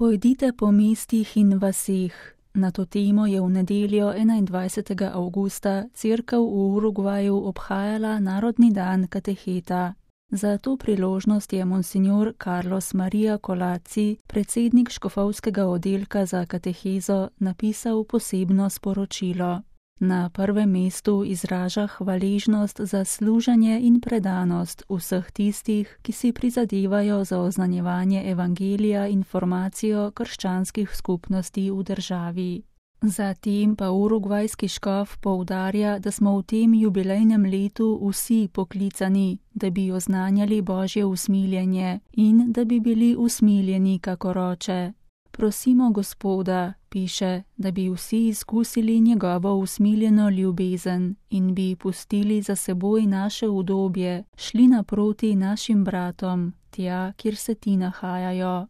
Pojdite po mestih in vaseh. Na to temo je v nedeljo 21. avgusta cerkev v Urugvaju obhajala Narodni dan kateheta. Za to priložnost je monsignor Carlos Maria Colaci, predsednik škofovskega oddelka za katehezo, napisal posebno sporočilo. Na prvem mestu izraža hvaležnost za služenje in predanost vseh tistih, ki si prizadevajo za oznanjevanje evangelija in formacijo krščanskih skupnosti v državi. Zatem pa urugvajski škof poudarja, da smo v tem jubilejnem letu vsi poklicani, da bi oznanjali Božje usmiljenje in da bi bili usmiljeni kakor Oče. Prosimo Gospoda, piše, da bi vsi izkusili njegovo usmiljeno ljubezen in bi pustili za seboj naše udobje, šli naproti našim bratom, tja, kjer se ti nahajajo.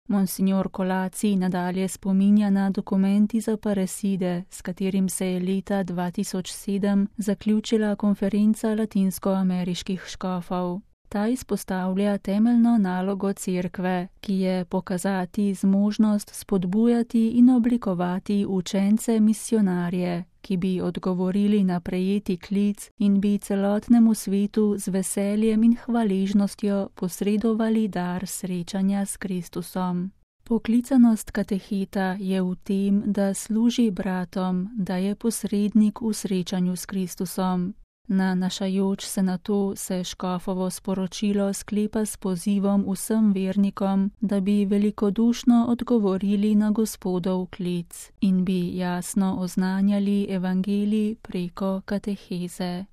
Monsignor Colaci nadalje spominja na dokument iz Aparecide, s katerim se je leta 2007 zaključila konferenca latinskoameriških škofov. Ta izpostavlja temeljno nalogo cerkve, ki je pokazati zmožnost spodbujati in oblikovati učence misionarje, ki bi odgovorili na prejeti klic in bi celotnemu svetu z veseljem in hvaležnostjo posredovali dar srečanja s Kristusom. Poklicanost kateheta je v tem, da služi bratom, da je posrednik v srečanju s Kristusom. Nanašajoč se na to se škofovo sporočilo sklepa s pozivom vsem vernikom, da bi velikodušno odgovorili na Gospodov klic in bi jasno oznanjali evangelij preko kateheze.